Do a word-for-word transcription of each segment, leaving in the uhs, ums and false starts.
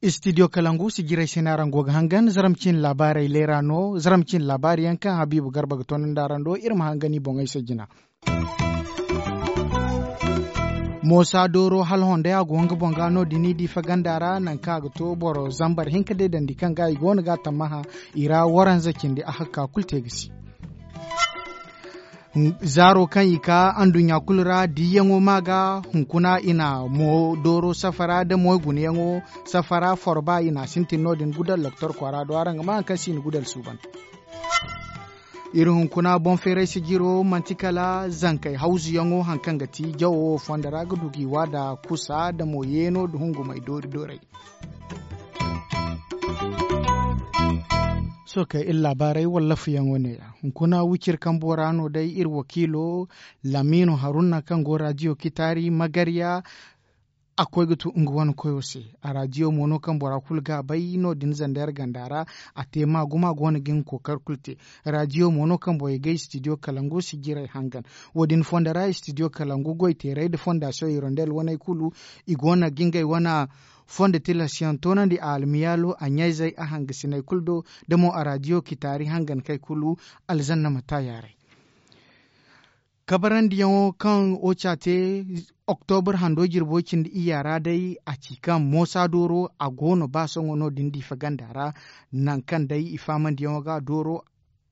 Istidiyo kalangu si jiray se no araŋ go ga hangan zaramcin laabaarey leera no zaramcin laabaari yaŋ kaŋ habiibu garba ga tonandi araŋ do iri ma hangan i boŋey se jina. Moosa dooro hala hondey a go nga boŋ ga no- din i di faganda ra nangu kaŋ a ga to boro zambar hinka deedandi kaŋ ga i go no ga a tammaha i ra waranza cindi a hakka kulu te ga si. Zaaro kaŋ i ka anduɲɲa kulu ra diiyaŋo ma ga hunkuna i na mo dooro safara nda moy gunayaŋo safara forba i na a sintin no- din gudal loktor kwaara do araŋ ga ma hari kaŋ se i na gudal suuban. Iri hunkuna boŋ feeray sijiro manti kala zankey hawzuyaŋo hari kaŋ ga ti jawo wo fondo ra ga du ga i wa nda kusa nda mo yeeno nda hungumey doori doorey. Sohõ kay iri laabaarey walla fuyaŋo ne- ya hunkuna wiciri kambo ra no day iri wakiilo lamiino haruna kaŋ go raadiyo kitaari magarya. A koy ga tu nga wane koyo se. A raadiyo mo no kaŋ bora kulu ga a bay no- din zandar ganda ra. A te maagu maagu wane ga nga kookari kulu te. Raadiyo mo no kaŋ borey ga istidiyo kalangu sijirey hangan. Wo- din fondo ra istidiyo kalangu goyteerey nda fondasiyoŋ hirondel waney kulu i go no ga ngey wane fondo tilasyaŋ toonandi a almiyaalo a ɲayzey a hangasiney kulu do. Da mo a raadiyo kitaari hangankey kulu alzanna ma ta yaaray. Kabarandiyaŋo kaŋ oca te oktobur hando jirbo cindi iyya ra day a ci kaŋ moosa dooro a go no ba sohõ no- din diifa ganda ra. Nangu kaŋ day i faamandiyaŋo ga dooro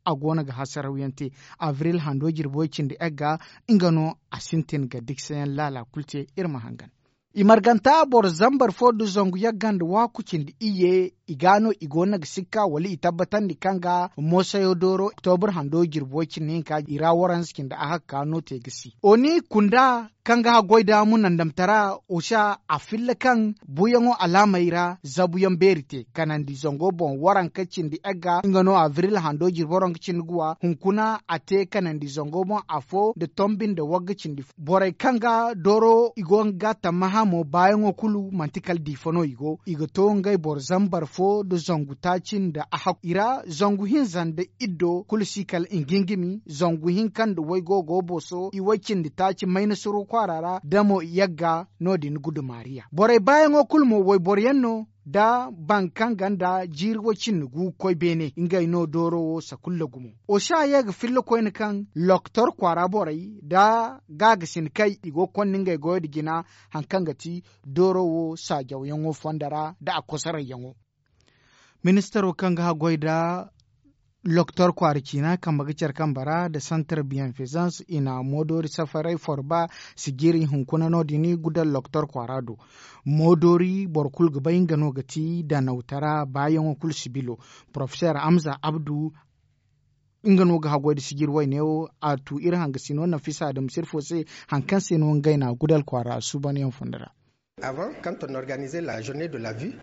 a go no ga hasarawyaŋ te abril hando jirbo cindi egga nga no a sintin ga diksayaŋ laala kulu te. Iri ma hangan i marganta boro zambar fo nda zangu yagga nda waaku cindi iyye i ga no i go no ga sikka wala i tabbatandi kaŋ ga moosayo dooro oktobur hando jirbo cindi hinka i ra waranza cindi a hakka no te ga si oni kunda kaŋ ga haggoy da munandamtara osa a filla kaŋ buuyaŋo alaamey ra zabuyaŋ beeri te kanandi zango boŋ waranka cindi egga nga no abril hando jirbo ranka cindi guwa hunkuna a te kanandi zango boŋ afo nda tombi nda wagga cindi borey kaŋ ga dooro i go ga tammaha mo baayaŋo kulu manti kala diifa no i go i ga to ngey boro zambar fo nda zangu taaci nda a hakku i ra zangu hinza nda iddo kulu si kala ingingimi zangu hinka nda waygo go booso i way cindi taaci mayna suru kwaara ra da mo yagga no- din gudumaariya borey baayaŋo kulu mo wayboro yaŋ no da baŋ kaŋ ganda jiiri way cindi gu ga koy beene ngey no dooro wo sakulla gumo. Osa ye ga filla koyne kaŋ loktor kwaara borey nda gaagasin kay i go ga konda ngey goyo nda jina hari kaŋ ga ti dooro wo saajawyaŋo fondo ra nda a kosarayyaŋo. Ministaro kaŋ ga haggoy nda loktor kwaara ciina kambe ga care kambe ra nda santar biyanfezans i na moodoori safaray forba sijiri hunkuna no- din gudal loktor kwaara do. Moodoori boro kulu ga bay nga no ga ti danawtara baayaŋo kulu sibilo. Porofeser hamza abdu nga no ga haggoy nda sijiri wayne wo a tu iri hangasino nafisa adama sirfo se hari kaŋ se no ngey na gudal kwaara suubanyaŋ fondo ra.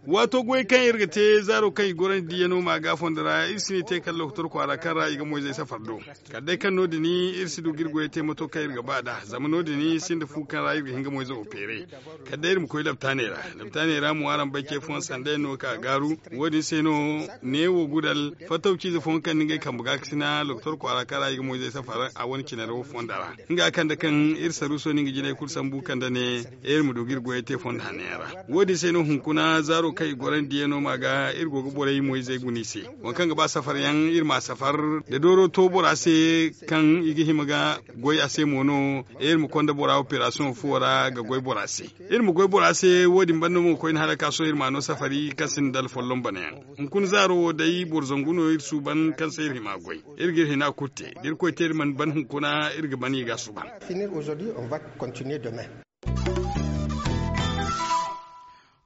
Waato goy kaŋ iri ga te zaaro kaŋ i gorandi diiyano ma ga fondo ra iri si ne te kala lokotor kwaara kaŋ ra i ga moyzey safar do. Kala day kaŋ no- din iri si du ga iri goyey te mato kaŋ iri ga ba nd'a zama no- din sinda fu kaŋ ra iri ga hin ga moyzo wo feeray. Kala day iri ma koy labtaaney ra labtaaney ra mo araŋ bay ce fooyaŋ sanda yaŋ no ga ka gaaru. Wo- din se no neewo gudal fattaw ciize fooyaŋ kaŋ na ngey kambe gaakasina lokotor kwaara kaŋ ra i ga moyzey safar a wane cinaro fonda ra. Nga kande kaŋ iri saruuso no nga jinay kulu sambu kande ne iri ma du ga iri goyey te fondo hanno yaŋ ra. Wo- din se no hunkuna zaaro kaŋ i gorandi yaŋ no ma ga iri go ga borey moyzey guna i se. Waŋ kaŋ ga ba safar yaŋ iri ma a safar da dooro to bora se kaŋ i ga hima ga goy a se mo no. Iri ma konda bora operasiyoŋ fo ra ga goy bora se. Iri ma goy bora se wo- din banda mo ga koy ni hala ga ka sohõ iri ma a no safari kaŋ sinda dala folloŋ bana yaŋ. Hunkuna zaaro wo day boro zangu no iri suuban kaŋ se iri hima ga goy. Iri ga iri hina kulu te da irkoy te iri mana ban hunkuna iri ga ban i ga a suuban.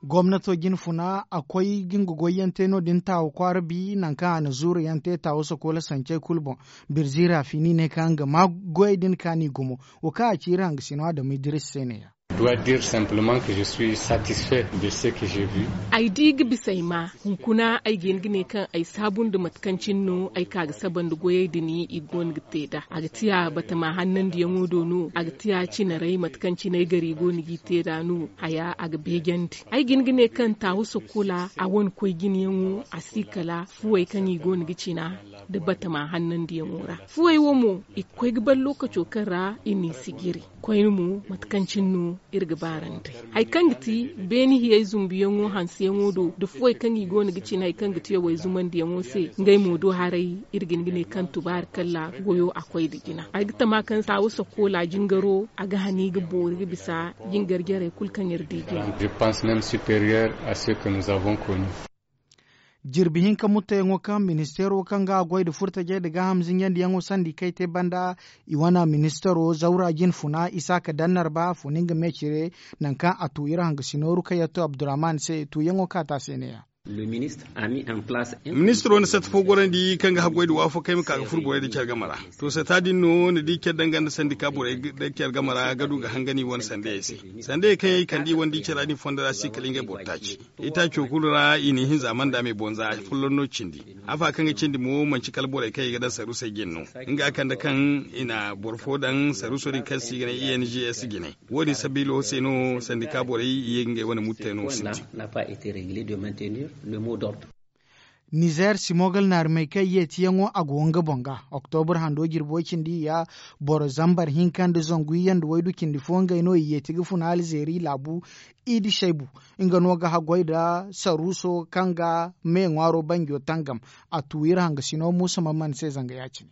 Gomnato jine funa a koy ga nga goyyaŋ te no- din taawa kwaara bi nangu kaŋ a na zuuru yaŋ te taawa sokoola sancey kulu boŋ. Birzi raafini ne kaŋ nga ma goyey din kaani gumo. Wo kaŋ a ci iri hangasino adama idiris se ne- ya. Doit dire simplement que je suis satisfait de ce que j'ai vu. Ay di ga bisa ay ma hunkuna ay ga hin ga ne kaŋ ay saabu nda mate kaŋ cine no ay ka ga saba nda goyey din i go no ga te nd'a a ga tiya batama hannandiyaŋo do no a ga tiya cinaray mate kaŋ cine ay gari go no g'i te nd'a no haya a ga beejandi. Ay ga hin ga ne kaŋ taawu sakola a wane koy jinayaŋo a si kala fuwey kaŋ i go no ga cina nda batama hannandiyaŋo ra. Fuwey wo mo i ga koy ga ban lookaco kaŋ ra i n'i si jiri. Koyne mo mate kaŋ cine no iri ga baarandi hari kaŋ ga ti beene hiyey zumbuyaŋo hanseyaŋo do nda fuwey kaŋ i go no ga cina hari kaŋ ga ti yawey zumandiyaŋo se. Ngey mo do haray iri ga hin ga ne kaŋ tubaari kalla goyo a koy nda jina ay ga tama kaŋ saawa sakola jingaro a ga hani ga boori ga bisa jingar jarey kulu kaŋ iri di jina. Jirbi hinka mutteyaŋo kaŋ ministeero kaŋ ga goy nda furtajey nda gaaham zinjandiyaŋo sandi kay te banda i wane ministeero zawra jine funa isaaka dannar ba a funa nga meecire. Nangu kaŋ a tu iri hangasino rukayatu abdurrahman se tuuyaŋo kaata se neeya. Ministiro na satta fo gorandi kaŋ ga haggoy nda waafakey ma ka ga furo borey nda care game ra. To satta din no ni di care danga nda sandika borey nda care game ra ga du ga hangan i wane sandayey se. Sandayey kaŋ yaŋ i kande i wane di care ra din fondo ra si kala ngey boro taaci. Itaaco kulu ra i na ihinza manda me bonza folloŋ no cindi. Afa kaŋ ga cindi mo manci kala borey kaŋ i ga daŋ saruusey jine no. Nga kande kaŋ i na boro fo daŋ saruuso din kaŋ se i ga ne i n g s jine. Wo- din sabiilo se no sandika borey i ye ga ngey wane muttey no sintin. Nizer simogal naarumey kaŋ yeetiyaŋo a go nga boŋ ga oktobur hando jirbo cindi ya boro zambar hinka nda zangu iyye nda waydu cindi fo ngey no i yeeti ga funa alzeeri laabu. Iidi shaybu nga no ga haggoy nda saruuso kaŋ ga me ŋwaaro banjo tangam. A tu iri hangasino muusa mamman se zanga ya- cine.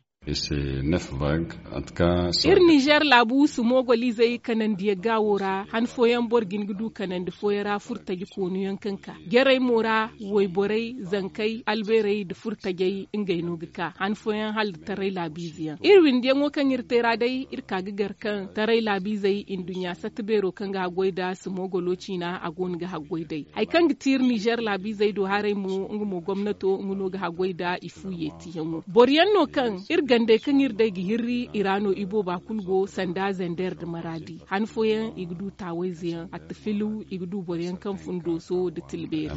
Iri nizer laabu sumogolizey kanandiya gaawo ra han fooyaŋ boro ga hin ga du kanandi fooyaŋ ra furtaji koonuyaŋ kaŋ ka jarey mo ra wayborey zankey albeerey nda furtajey ngey no ga ka han fooyaŋ hala nda taray laabiizeyaŋ iri windiyaŋo kaŋ iri te ra day iri ka ga gar kaŋ taray laabiizey nduɲɲa satta beero kaŋ ga haggoy nda sumogolo ciina a go no ga haggoy day. Hari kaŋ ga ti iri nizer laabiizey do haray mo nga mo gomnato nga no ga haggoy nda i fu yeetiyaŋo boro yaŋ no kaŋ iri gandey kaŋ iri day ga hirri i ra no i booba kulu go sanda zender nda maraadi han fooyaŋ i ga du taawayze yaŋ atta filu i ga du boro yaŋ kaŋ fun dooso nda tilbeeri.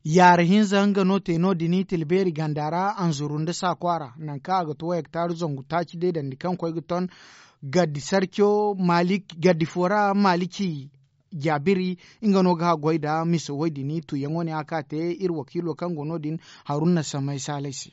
Yaara hinza nga no te no- din tilbeeri ganda ra anzuru nda saa kwaara nangu kaŋ a ga to hektar zangu taaci deedandi kaŋ koy ga ton. Gaddi sarco maalik gaddi fo ra maaliki jaabiri nga no ga haggoy nda misa woy din tuuyaŋo ne a ka te iri wakiilo kaŋ go no- din haruna samay saalay se.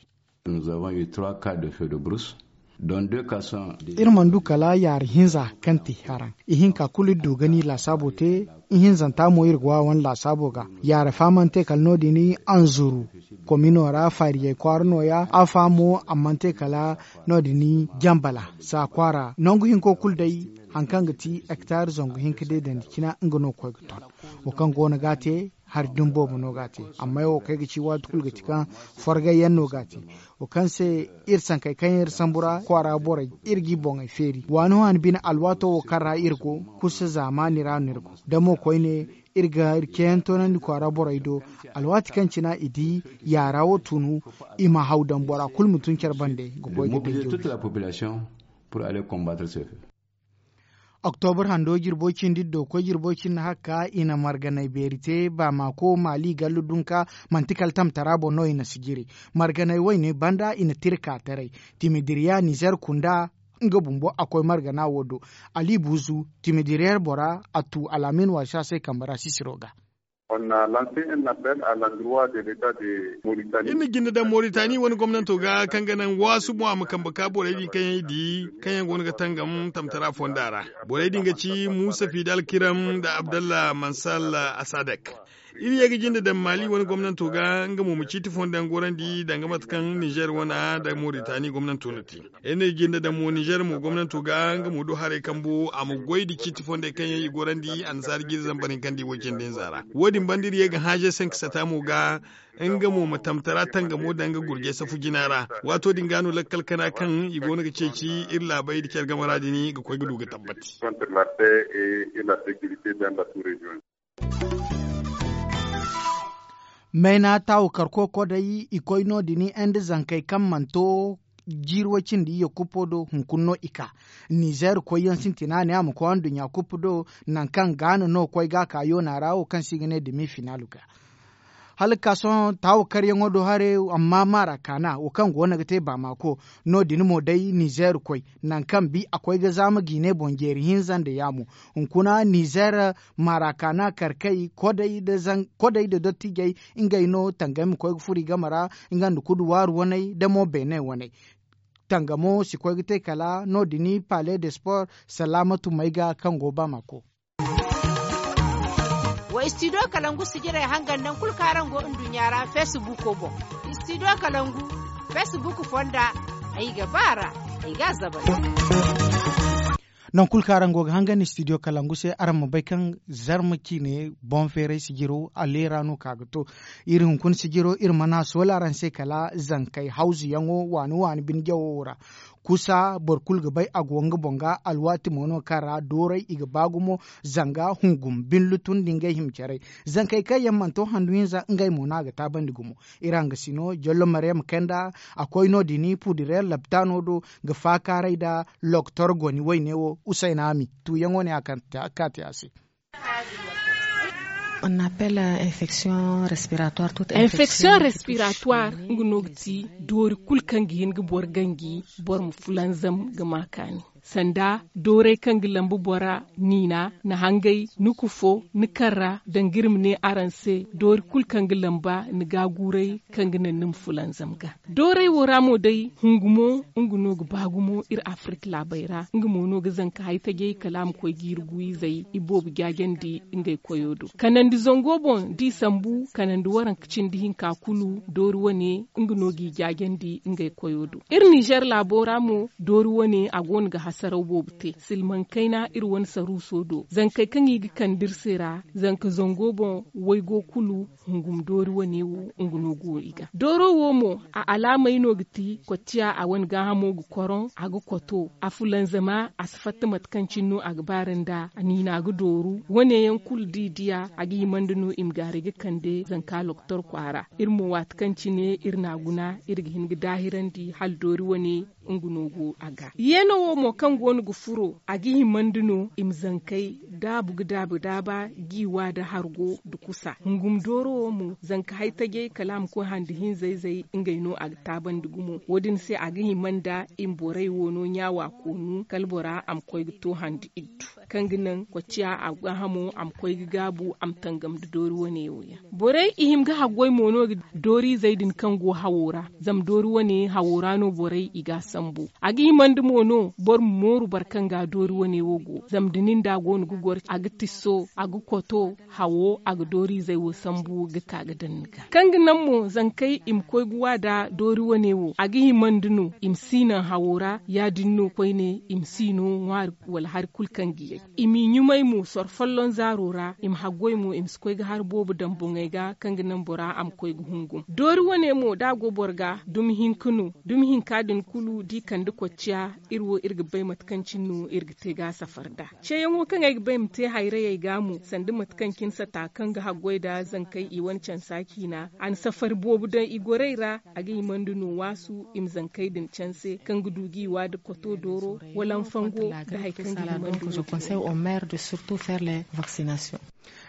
Iri mana du kala yaara hinza kaŋ te haraŋ ihinka kulu iri du ga ni laasaabo te. Ihinzanta mo iri ga wa wane laasaabo ga yaara fa mana te kala no- din anzuru komino ra faariyey kwaara nooya afa mo a mana te kala no- din jambala saa kwaara nangu hinko kulu day. Hari kaŋ ga ti hektar zangu hinka deedandi cina nga no koy ga ton wo kaŋ go no ga a te. Hari dumi boobo no ga a te amma wo kaŋ ay ga ci waati kulu ga ti kaŋ forgay yaŋ no ga a te. Wo kaŋ se iri sankey kaŋ yaŋ iri sambu ra kwaara borey iri g'i boŋey feeri waani waani bine alwaato wo kaŋ ra iri go kusa zaamaani ra no iri go da mo koyne iri ga iri ceeyaŋ toonandi kwaara borey do. Alwaati kaŋ cina i di yaara wo tunu i ma haw daŋ bora kulu ma tun care bande ga koy ga danjo. Oktobur hando jirbo cindi da dokoy jirbo cindi hakka i na marganay beeri te baamaako maali gallu dunka manti kala tamtara boŋ no i na si jiri. Marganay wayne banda i na tira ka taray timidiriya nizer kunda nga bumbo a koy margana wo do. Ali buzu timidiriyer bora a tu alaamin waasi a se kambe ra sisiro ga. Iri na jinde daŋ moritani wane gomnanto ga kaŋ ga naŋ waasu mo a ma kambe ka borey din kaŋ yaŋ i di kaŋ yaŋ go no ga tangam tamtara fonda ra. Borey din ga ci muusa fidal kiram nda abdallah mansal asadek. Iri ye ga jinde daŋ maali wane gomnanto ga nga mo ma ciiti fonda yaŋ gorandi danga mate kaŋ nizer wane nda moritani gomnanto no te. Iri na jinde daŋ mo nizer mo gomnanto ga nga mo do haray kambo a ma goy nda ciiti fondey kaŋ yaŋ i gorandi annasaara jiiri zambar hinka nda i way cindi hinza ra. Wo- din banda iri ye ga haaze sanka sata mo ga nga mo ma tamtara tangamo daŋ nga gurjay safu jina ra. Waato din ga no lakkal kana kaŋ i go no ga ceeci iri laabey nda care game ra din ga koy ga du ga tabbati. Mayna taawu karko koday i koy no- din ende zankey kaŋ mana to jiiri way cindi iyye kuppo do hunkuna no i ka. Nizeer koyyaŋ sintina ne a ma koy anduɲɲa kuppo do, nangu kaŋ gaana no koy ga a ka yoona ra wo kaŋ se i ga ne demi finaalo ga. Hala ga ka sohõ taawa karyaŋo do haray, amma maara kaana wo kaŋ go no ga te baamaako. No- din mo day nizeer koy, nangu kaŋ bi a koy ga zaama jiine boŋ jeeri hinza nda yaamo. Hunkuna nizeer maara kaana karkey, kodey nda dottijey, ngey no tangey ma koy ga furo i game ra, nga nda kudu waaru waney nda mo beene waney. Tangamo si koy ga te kala no- din pale de sport salaamatu may ga kaŋ go baamaako. Wa istidiyo kalangu sijirey hangan nangu kulu kaŋ araŋ go nduɲɲa ra feesibuuko boŋ. Istidiyo kalangu feesibuuk fonda, ay ga ba a ra, ay ga a zabay. Nangu kulu kaŋ araŋ go ga hangan istidiyo kalangu se, araŋ ma bay kaŋ zarma ciine boŋ feeray sijiro a leera no ka ga to. Iri hunkuna sijiro iri mana a soola araŋ se kala zankey hawzuyaŋo waani waani bine jawo ra. Kusa boro kulu ga bay a go nga boŋ ga alwaati mo no kaŋ ra dooray i ga ba gumo, zanga hungum binlutun nda ngey hima caray. Zankey kaŋ yaŋ mana to handu hinza ngey mo no a ga taabandi gumo. Iri hangasino jollo mariyam kanda a koy no- din puudireer laptaano do ga faakaaray nda loktor goni wayne wo usayna ami. Tuuyaŋo ne a kaŋ te a se. Infection respiratoire, nga no ga ti doori kulu kaŋ ga hin ga boro ganji, boro ma fulanzam ga ma kaani. Sanda dooray kaŋ ga lambu bora niina, ni hangay, ni kufo, ni karra danga iri ma ne araŋ se, doori kulu kaŋ ga lamba ni gaaguuray kaŋ ga naŋ ni ma fulanzam ga. Dooray wo ra mo day hungumo, nga no ga ba gumo iri afirik laabey ra. Nga mo no ga zanka haytajey kala a ma koy ga iri guwizey iboobo jaajandi ngey koyo do. Kanandi zango boŋ da i sambu kanandi waranka cindi hinka kulu doori wane, nga no g'i jaajandi ngey koyo do. Iri nizer laabo ra mo doori wane a go no ga hasaraw boobo te silmaŋ kayna iri wane saruuso do zankey kaŋ i ga kande iri se ra. Zanka zango boŋ waygo kulu hungum doori wane wo nga no go i ga dooro wo mo. A alaamey no ga ti kocciya a wane gaahamo ga koroŋ a ga koto a fulanzama a si fatta mate kaŋ cine no a ga baara nda a niina ga dooru. Wane yaŋ kulu da i diya a ga himandi no i ma gaaray ga kande zanka loktor kwaara. Iri mo waati kaŋ cine iri n'a guna iri ga hin ga daahirandi hala doori wane nga no go a ga. Yeeno wo mo kaŋ go no ga furo a ga himandi no i ma zankey daabu ga daabu daaba g'i wa nda hargo nda kusa. Hungum dooro wo mo zanka haytajey kala a ma koy handi hinza-izey ngey no a ga taabandi gumo wo- din se a ga hima nda i ma borey wo no ɲaawa koonu kala bora a ma koy ga to handi iddu kaŋ ga naŋ kocciya a gaahamo a ma koy ga gaabu a ma tangam nda doori wane wo yaŋ. Borey i hima ga haggoy mo no ga dooriizey din kaŋ go hawo ra. Zama doori wane hawo ra no borey i ga a sambu. A ga himandi mo no boro ma mooru boro kaŋ ga doori wane wo go zama da nin da a go no ga goro a ga tisso a ga koto hawo a ga dooriizey wo sambu ga ka ga daŋ ni ga kaŋ ga naŋ mo zankey i ma koy ga wa nda doori wane wo a ga himandi no i ma si naŋ hawo ra ya- din no koyne i ma si no ŋwaari wala hari kulu kaŋ ga yay. I m'i ɲumay mo soro folloŋ zaaro ra i ma haggoy mo i ma si koy ga hari boobo daŋ boŋey ga kaŋ ga naŋ bora a ma koy ga hungum doori wane mo da a go boro ga dumi hinka no. Dumi hinka din kulu da i kande kocciya iri wo iri ga bay mate kaŋ cine no iri ga te ga a safar nd'a. Ceeyaŋo kaŋ ay ga ba ay ma te hayrayey ga mo sanda mate kaŋ cine sata kaŋ ga haggoy nda zankey i wane cansa ciina a na safari boobo daŋ i gorey ra. A ga himandi no waasu i ma zankey din canse kaŋ ga du g'i wa nda koto dooro wala nfango nda hari kaŋ ga himandi no.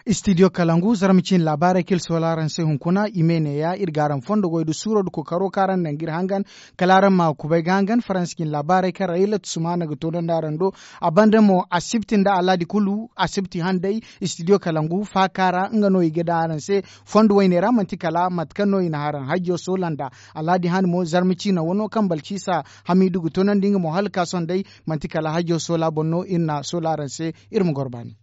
Istidiyo kalangu zarma ciine laabaarey kaŋ iri soola araŋ se hunkuna i me neeya iri ga araŋ fondo goy nda suuro nda kookaro kaŋ araŋ naŋ ga iri hangan. Kala araŋ ma kubay ga hangan faransa ciine laabaarey kaŋ raylat sumaana ga toonandi araŋ do. A banda mo asibti nda alhaadi kulu asibti handay. Istidiyo kalangu faaka ra nga no i ga daŋ araŋ se fondo wayne ra manti kala mate kaŋ no i na haraŋ hajjo soola nda alhaadi han mo zarma ciine wano kaŋ balciisa hamiidu ga toonandi nga mo hala ka sohõ day manti kala hajjo soola boŋ no iri na soola araŋ se. Iri ma goro baani.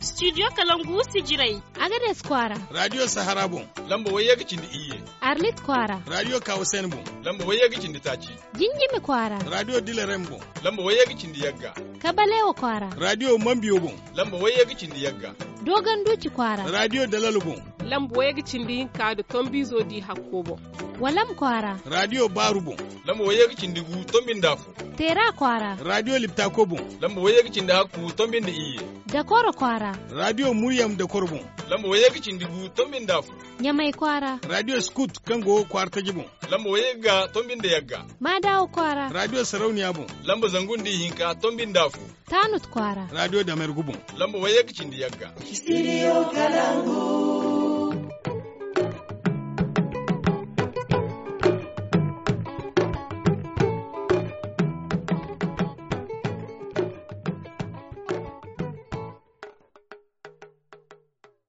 Studio kalangu sijirey. Agades kwaara. Radio sahara boŋ. Lamba wayye ga cindi iyye. Arlit kwaara. Radio kawasen boŋ. Lamba wayye ga cindi taaci. Jinjimi kwaara. Radio dilerem boŋ. Lamba wayye ga cindi yagga. Kabalewa kwaara. Radio mambiyo boŋ. Lamba wayye ga cindi yagga. Dogon duci kwaara. Radio dalalo boŋ. Lamba wayye ga cindi hinka nda tombizo di hakko boŋ. Walam kwaara. Radio baaru boŋ. Lamba wayye ga cindi gu tombi nda afo. Teera kwaara. Radio liptako boŋ. Lamba wayye ga cindi hakku tombi nda iyye. Dakoro kwaara. Radiyo Muryam Dakoro boŋ. Lamba wayye ga cindi gu, tombi nda afo. Ɲamay kwaara. Radiyo Skut, kaŋ go kwaara taji boŋ. Lamba wayye ga, tombi nda yagga. Maadawo kwaara. Radiyo Sarauniya boŋ. Lamba zangu nda ihinka, tombi nda afo. Tanut kwaara. Radiyo Damergu boŋ. Lamba wayye ga cindi yagga. Studio